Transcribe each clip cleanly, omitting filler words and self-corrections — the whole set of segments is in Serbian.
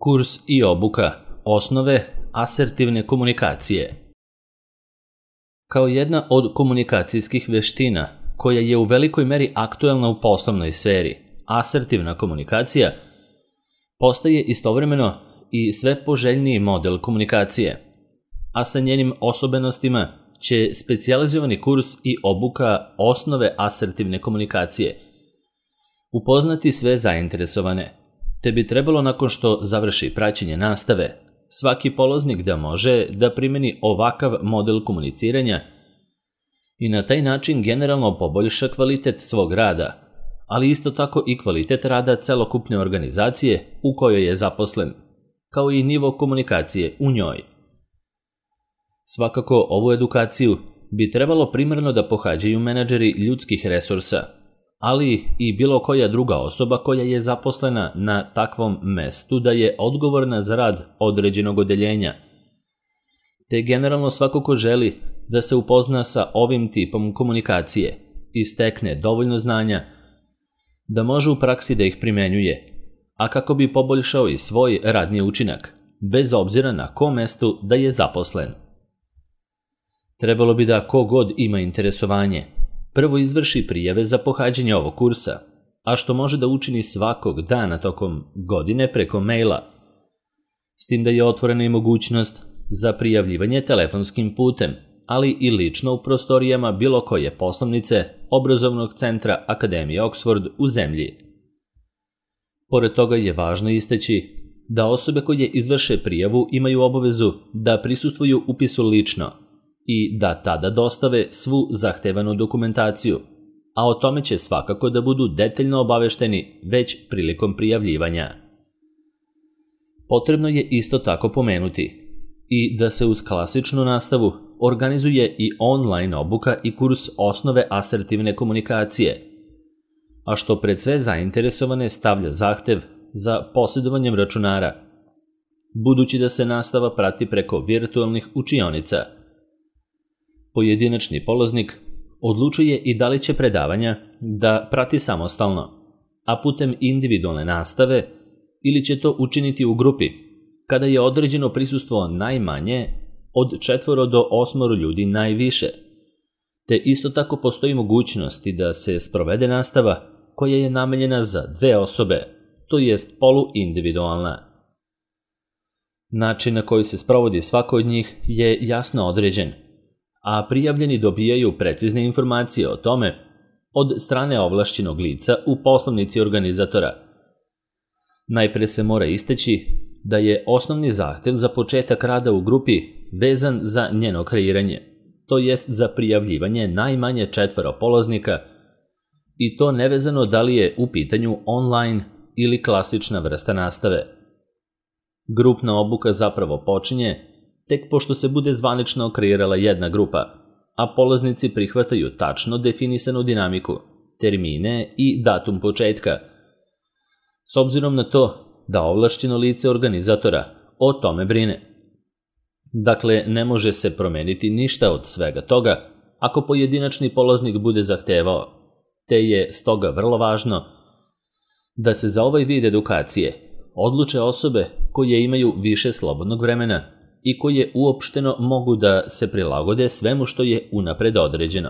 Kurs i obuka osnove asertivne komunikacije. Kao jedna od komunikacijskih veština koja je u velikoj meri aktuelna u poslovnoj sferi, asertivna komunikacija postaje istovremeno i sve poželjniji model komunikacije, a sa njenim osobenostima će specijalizovani kurs i obuka osnove asertivne komunikacije upoznati sve zainteresovane, te bi trebalo nakon što završi praćenje nastave, svaki polaznik da može da primeni ovakav model komuniciranja i na taj način generalno poboljša kvalitet svog rada, ali isto tako i kvalitet rada celokupne organizacije u kojoj je zaposlen, kao i nivo komunikacije u njoj. Svakako ovu edukaciju bi trebalo primarno da pohađaju menadžeri ljudskih resursa, ali i bilo koja druga osoba koja je zaposlena na takvom mestu da je odgovorna za rad određenog odeljenja, te generalno svako ko želi da se upozna sa ovim tipom komunikacije i stekne dovoljno znanja da može u praksi da ih primenjuje, a kako bi poboljšao i svoj radni učinak, bez obzira na kom mestu da je zaposlen. Trebalo bi da kogod ima interesovanje prvo izvrši prijave za pohađanje ovog kursa, a što može da učini svakog dana tokom godine preko maila, s tim da je otvorena i mogućnost za prijavljivanje telefonskim putem, ali i lično u prostorijama bilo koje poslovnice obrazovnog centra Akademije Oxford u zemlji. Pored toga je važno istaći da osobe koje izvrše prijavu imaju obavezu da prisustvuju upisu lično i da tada dostave svu zahtevanu dokumentaciju, a o tome će svakako da budu detaljno obavešteni već prilikom prijavljivanja. Potrebno je isto tako pomenuti i da se uz klasičnu nastavu organizuje i online obuka i kurs osnove asertivne komunikacije, a što pred sve zainteresovane stavlja zahtev za posjedovanjem računara, budući da se nastava prati preko virtualnih učionica. Pojedinačni polaznik odlučuje i da li će predavanja da prati samostalno, a putem individualne nastave, ili će to učiniti u grupi, kada je određeno prisustvo najmanje od 4 do 8 ljudi najviše, te isto tako postoji mogućnosti da se sprovede nastava koja je namenjena za 2 osobe, to jest poluindividualna. Način na koji se sprovodi svako od njih je jasno određen, a prijavljeni dobijaju precizne informacije o tome od strane ovlašćenog lica u poslovnici organizatora. Najpre se mora istaći da je osnovni zahtev za početak rada u grupi vezan za njeno kreiranje, to jest za prijavljivanje najmanje 4 polaznika, i to nevezano da li je u pitanju online ili klasična vrsta nastave. Grupna obuka zapravo počinje tek pošto se bude zvanično kreirala jedna grupa, a polaznici prihvataju tačno definisanu dinamiku, termine i datum početka, s obzirom na to da ovlašćeno lice organizatora o tome brine. Dakle, ne može se promeniti ništa od svega toga ako pojedinačni polaznik bude zahtevao, te je stoga vrlo važno da se za ovaj vid edukacije odluče osobe koje imaju više slobodnog vremena i koje uopšteno mogu da se prilagode svemu što je unapred određeno.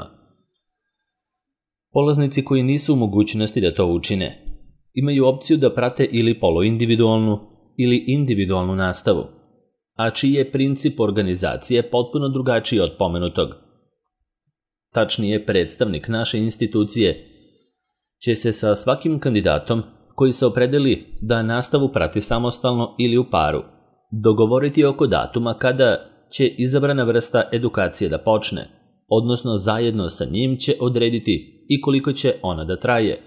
Polaznici koji nisu u mogućnosti da to učine imaju opciju da prate ili poluindividualnu ili individualnu nastavu, a čiji je princip organizacije potpuno drugačiji od pomenutog. Tačnije, predstavnik naše institucije će se sa svakim kandidatom koji se opredeli da nastavu prati samostalno ili u paru dogovoriti oko datuma kada će izabrana vrsta edukacije da počne, odnosno zajedno sa njim će odrediti i koliko će ona da traje,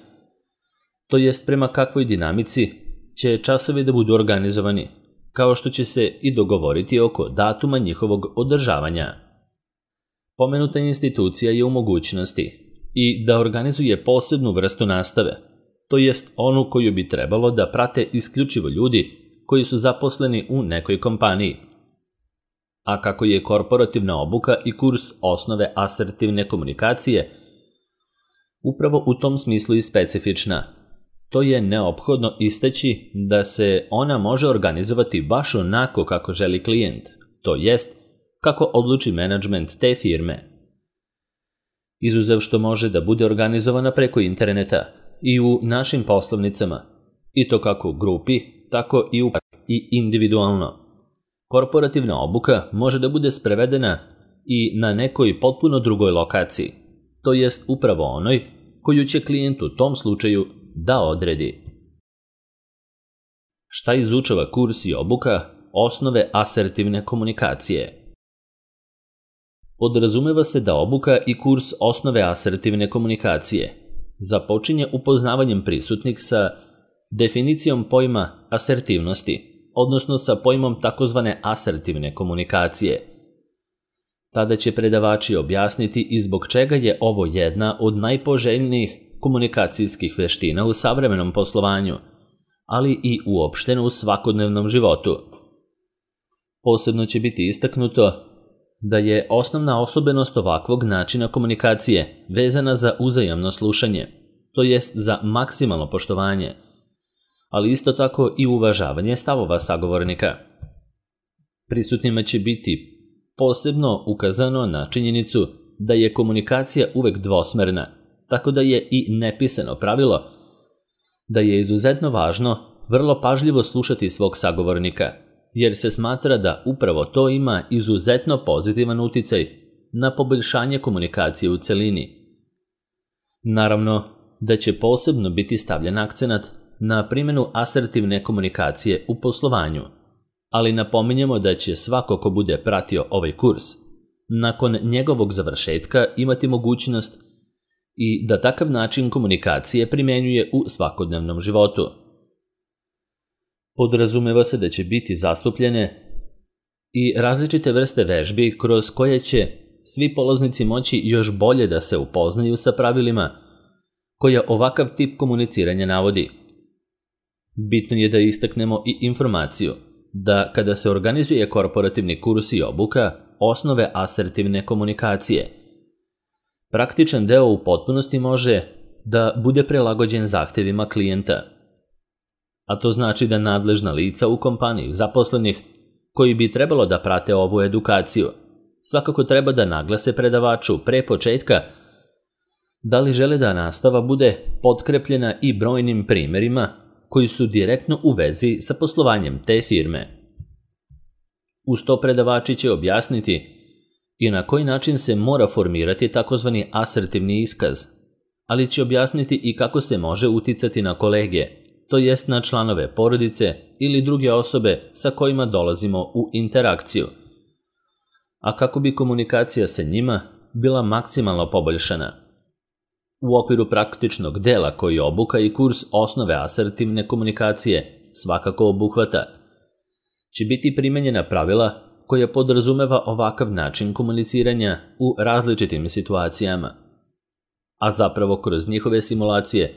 to jest prema kakvoj dinamici će časovi da budu organizovani, kao što će se i dogovoriti oko datuma njihovog održavanja. Pomenuta institucija je u mogućnosti i da organizuje posebnu vrstu nastave, to jest onu koju bi trebalo da prate isključivo ljudi koji su zaposleni u nekoj kompaniji. A kako je korporativna obuka i kurs osnove asertivne komunikacije upravo u tom smislu i specifična, to je neophodno istaći da se ona može organizovati baš onako kako želi klijent, to jest kako odluči menadžment te firme. Izuzev što može da bude organizovana preko interneta i u našim poslovnicama, i to kako u grupi, tako i individualno. Korporativna obuka može da bude sprevedena i na nekoj potpuno drugoj lokaciji, to jest upravo onoj koju će klijent u tom slučaju da odredi. Šta izučava kurs i obuka? Osnove asertivne komunikacije. Podrazumeva se da obuka i kurs osnove asertivne komunikacije započinje upoznavanjem prisutnih sa definicijom pojma asertivnosti, odnosno sa pojmom takozvane asertivne komunikacije. Tada će predavači objasniti i zbog čega je ovo jedna od najpoželjnijih komunikacijskih veština u savremenom poslovanju, ali i uopšteno u svakodnevnom životu. Posebno će biti istaknuto da je osnovna osobenost ovakvog načina komunikacije vezana za uzajamno slušanje, to jest za maksimalno poštovanje, ali isto tako i uvažavanje stavova sagovornika. Prisutnima će biti posebno ukazano na činjenicu da je komunikacija uvek dvosmerna, tako da je i nepisano pravilo da je izuzetno važno vrlo pažljivo slušati svog sagovornika, jer se smatra da upravo to ima izuzetno pozitivan uticaj na poboljšanje komunikacije u celini. Naravno da će posebno biti stavljen akcenat na primjenu asertivne komunikacije u poslovanju, ali napominjemo da će svako ko bude pratio ovaj kurs, nakon njegovog završetka imati mogućnost i da takav način komunikacije primjenjuje u svakodnevnom životu. Podrazumeva se da će biti zastupljene i različite vrste vežbi kroz koje će svi polaznici moći još bolje da se upoznaju sa pravilima koja ovakav tip komuniciranja navodi. Bitno je da istaknemo i informaciju da kada se organizuje korporativni kurs i obuka osnove asertivne komunikacije, praktičan deo u potpunosti može da bude prilagođen zahtevima klijenta. A to znači da nadležna lica u kompaniji zaposlenih koji bi trebalo da prate ovu edukaciju svakako treba da naglase predavaču pre početka da li žele da nastava bude potkrepljena i brojnim primerima koji su direktno u vezi sa poslovanjem te firme. Uz to predavači će objasniti i na koji način se mora formirati takozvani asertivni iskaz, ali će objasniti i kako se može uticati na kolege, to jest na članove porodice ili druge osobe sa kojima dolazimo u interakciju, a kako bi komunikacija sa njima bila maksimalno poboljšana. U okviru praktičnog dela koji obuka i kurs osnove asertivne komunikacije svakako obuhvata, će biti primenjena pravila koja podrazumeva ovakav način komuniciranja u različitim situacijama, a zapravo kroz njihove simulacije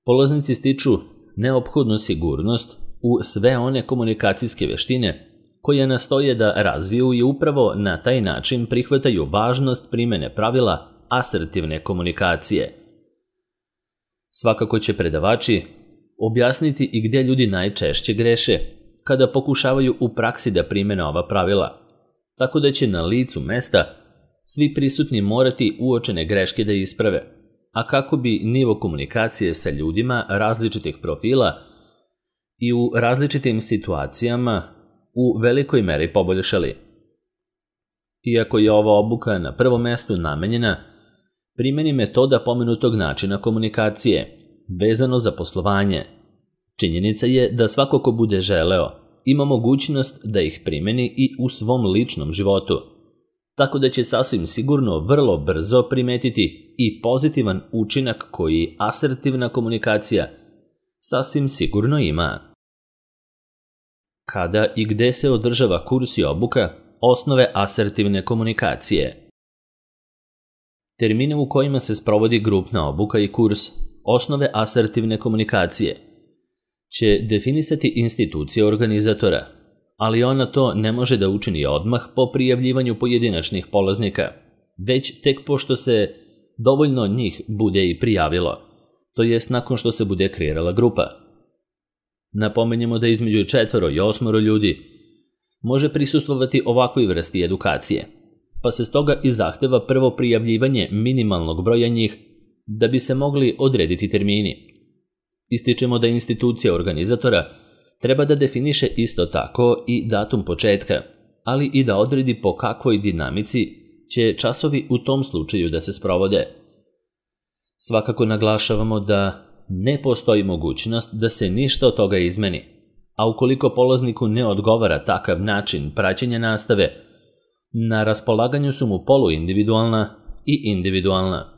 polaznici stiču neophodnu sigurnost u sve one komunikacijske veštine koje nastoje da razviju i upravo na taj način prihvataju važnost primene pravila asertivne komunikacije. Svakako će predavači objasniti i gdje ljudi najčešće greše kada pokušavaju u praksi da primene ova pravila, tako da će na licu mesta svi prisutni morati uočene greške da isprave, a kako bi nivo komunikacije sa ljudima različitih profila i u različitim situacijama u velikoj meri poboljšali. Iako je ova obuka na prvom mestu namenjena primjeni metoda pomenutog načina komunikacije vezano za poslovanje, činjenica je da svako ko bude želeo ima mogućnost da ih primjeni i u svom ličnom životu, tako da će sasvim sigurno vrlo brzo primetiti i pozitivan učinak koji asertivna komunikacija sasvim sigurno ima. Kada i gde se održava kurs i obuka osnove asertivne komunikacije? Termine u kojima se sprovodi grupna obuka i kurs osnove asertivne komunikacije će definisati institucija organizatora, ali ona to ne može da učini odmah po prijavljivanju pojedinačnih polaznika, već tek pošto se dovoljno njih bude i prijavilo, to jest nakon što se bude kreirala grupa. Napomenjemo da između 4 i 8 ljudi može prisustvovati ovakvoj vrsti edukacije, pa se stoga i zahteva prvo prijavljivanje minimalnog broja njih da bi se mogli odrediti termini. Ističemo da institucija organizatora treba da definiše isto tako i datum početka, ali i da odredi po kakvoj dinamici će časovi u tom slučaju da se sprovode. Svakako naglašavamo da ne postoji mogućnost da se ništa od toga izmeni, a ukoliko polazniku ne odgovara takav način praćenja nastave, na raspolaganju su mu poluindividualna i individualna.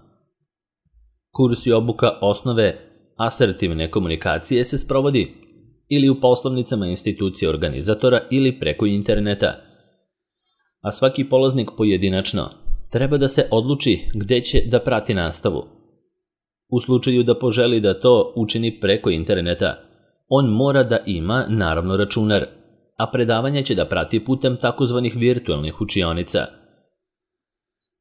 Kurs i obuka osnove asertivne komunikacije se sprovodi ili u poslovnicama institucije organizatora ili preko interneta, a svaki polaznik pojedinačno treba da se odluči gde će da prati nastavu. U slučaju da poželi da to učini preko interneta, on mora da ima naravno računar, a predavanje će da prati putem takozvanih virtualnih učionica.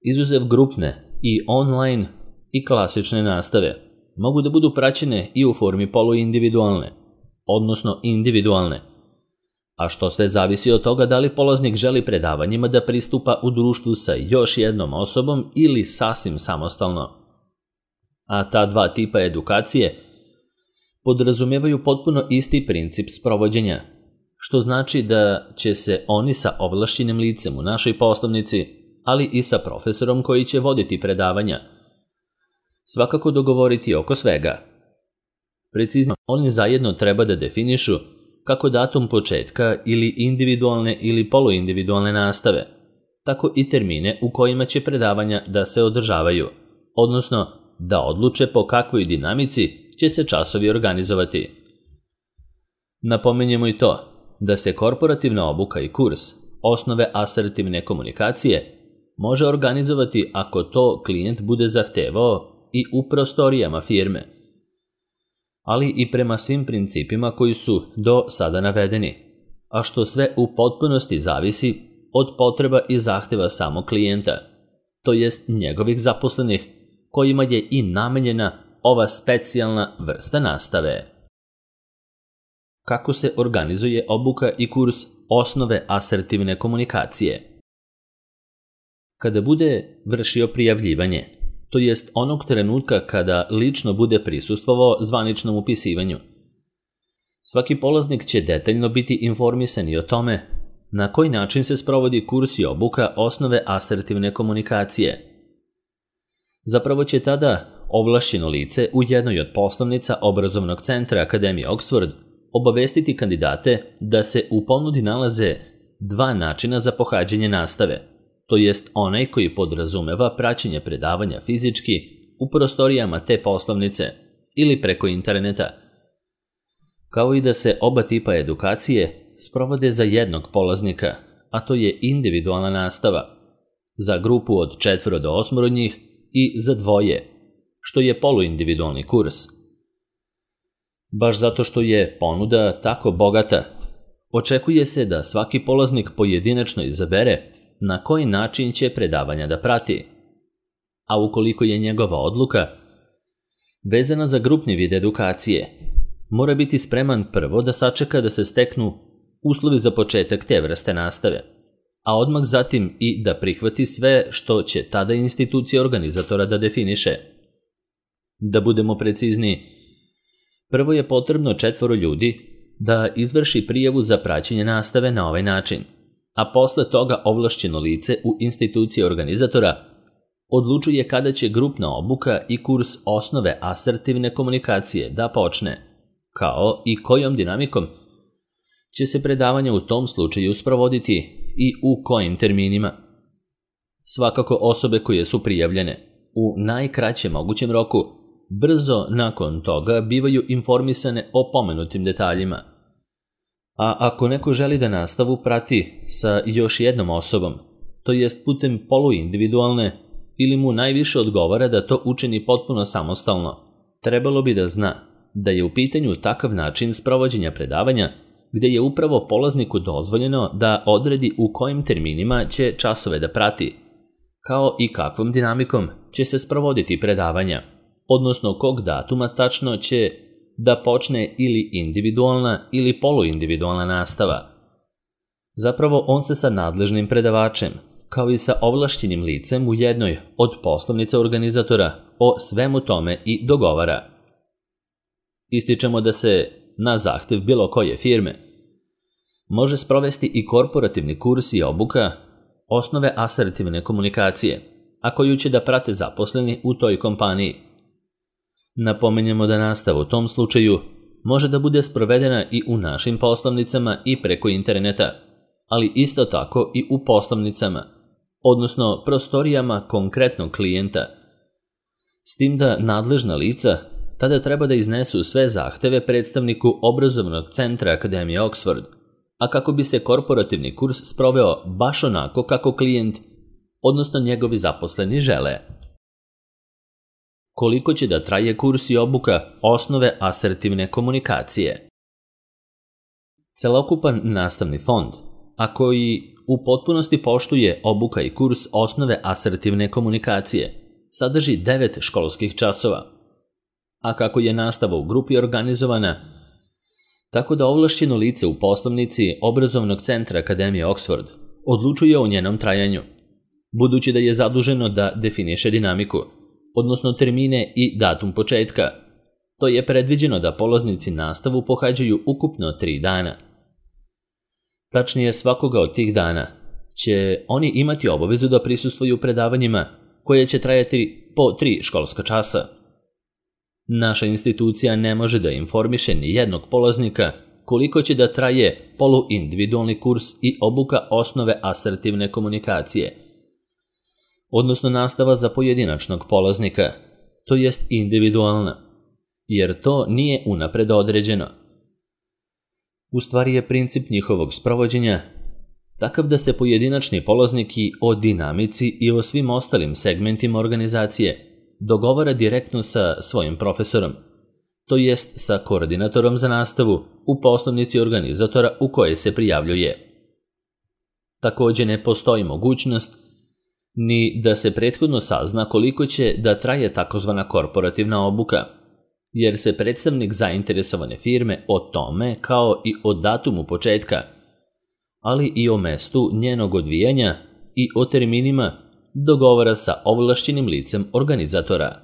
Izuzev grupne i online i klasične nastave mogu da budu praćene i u formi poluindividualne, odnosno individualne, a što sve zavisi od toga da li polaznik želi predavanjima da pristupa u društvu sa još jednom osobom ili sasvim samostalno. A ta dva tipa edukacije podrazumevaju potpuno isti princip sprovođenja, što znači da će se oni sa ovlašćenim licem u našoj poslovnici, ali i sa profesorom koji će voditi predavanja, svakako dogovoriti oko svega. Precizno, oni zajedno treba da definišu kako datum početka ili individualne ili poluindividualne nastave, tako i termine u kojima će predavanja da se održavaju, odnosno da odluče po kakvoj dinamici će se časovi organizovati. Napomenjemo i to da se korporativna obuka i kurs osnove asertivne komunikacije može organizovati ako to klijent bude zahtevao i u prostorijama firme, ali i prema svim principima koji su do sada navedeni, a što sve u potpunosti zavisi od potreba i zahteva samog klijenta, to jest njegovih zaposlenih, kojima je i namenjena ova specijalna vrsta nastave. Kako se organizuje obuka i kurs osnove asertivne komunikacije? Kada bude vršio prijavljivanje, to jest onog trenutka kada lično bude prisustvovao zvaničnom upisivanju, svaki polaznik će detaljno biti informisan i o tome na koji način se sprovodi kurs i obuka osnove asertivne komunikacije. Zapravo će tada ovlašćeno lice u jednoj od poslovnica obrazovnog centra Akademije Oxford obavestiti kandidate da se u ponudi nalaze dva načina za pohađanje nastave, to jest onaj koji podrazumeva praćenje predavanja fizički u prostorijama te poslovnice ili preko interneta, kao i da se oba tipa edukacije sprovode za jednog polaznika, a to je individualna nastava, za grupu od 4 do 8 njih i za dvoje, što je poluindividualni kurs. Baš zato što je ponuda tako bogata, očekuje se da svaki polaznik pojedinačno izabere na koji način će predavanja da prati, a ukoliko je njegova odluka vezana za grupni vid edukacije, mora biti spreman prvo da sačeka da se steknu uslovi za početak te vrste nastave, a odmah zatim i da prihvati sve što će tada institucija organizatora da definiše. Da budemo precizniji, prvo je potrebno 4 ljudi da izvrši prijavu za praćenje nastave na ovaj način, a posle toga ovlašćeno lice u instituciji organizatora odlučuje kada će grupna obuka i kurs osnove asertivne komunikacije da počne, kao i kojom dinamikom će se predavanja u tom slučaju sprovoditi i u kojim terminima. Svakako osobe koje su prijavljene u najkraćem mogućem roku brzo nakon toga bivaju informisane o pomenutim detaljima. A ako neko želi da nastavu prati sa još jednom osobom, to jest putem poluindividualne, ili mu najviše odgovara da to učini potpuno samostalno, trebalo bi da zna da je u pitanju takav način sprovođenja predavanja gde je upravo polazniku dozvoljeno da odredi u kojim terminima će časove da prati, kao i kakvom dinamikom će se sprovoditi predavanja, odnosno kog datuma tačno će da počne ili individualna ili poluindividualna nastava. Zapravo on se sa nadležnim predavačem, kao i sa ovlašćenim licem u jednoj od poslovnica organizatora o svemu tome i dogovara. Ističemo da se, na zahtev bilo koje firme, može sprovesti i korporativni kurs i obuka osnove asertivne komunikacije, a koju će da prate zaposleni u toj kompaniji. Napomenjemo da nastava u tom slučaju može da bude sprovedena i u našim poslovnicama i preko interneta, ali isto tako i u poslovnicama, odnosno prostorijama konkretnog klijenta. S tim da nadležna lica tada treba da iznesu sve zahteve predstavniku obrazovnog centra Akademije Oxford, a kako bi se korporativni kurs sproveo baš onako kako klijent, odnosno njegovi zaposleni žele. Koliko će da traje kurs i obuka osnove asertivne komunikacije? Celokupan nastavni fond, a koji u potpunosti poštuje obuka i kurs osnove asertivne komunikacije, sadrži 9 školskih časova. A kako je nastava u grupi organizovana, tako da ovlašćeno lice u poslovnici obrazovnog centra Akademije Oxford odlučuje o njenom trajanju, budući da je zaduženo da definiše dinamiku, odnosno termine i datum početka. To je predviđeno da polaznici nastavu pohađaju ukupno 3 dana. Tačnije, svakoga od tih dana će oni imati obavezu da prisustvuju predavanjima koje će trajati po 3 školska časa. Naša institucija ne može da informiše ni jednog polaznika koliko će da traje poluindividualni kurs i obuka osnove asertivne komunikacije, odnosno nastava za pojedinačnog polaznika, to jest individualna, jer to nije unapred određeno. U stvari je princip njihovog sprovođenja takav da se pojedinačni polaznik i o dinamici i o svim ostalim segmentima organizacije dogovara direktno sa svojim profesorom, to jest sa koordinatorom za nastavu u poslovnici organizatora u koje se prijavljuje. Također ne postoji mogućnost ni da se prethodno sazna koliko će da traje takozvana korporativna obuka, jer se predstavnik zainteresovane firme o tome kao i o datumu početka, ali i o mestu njenog odvijanja i o terminima dogovara sa ovlašćenim licem organizatora.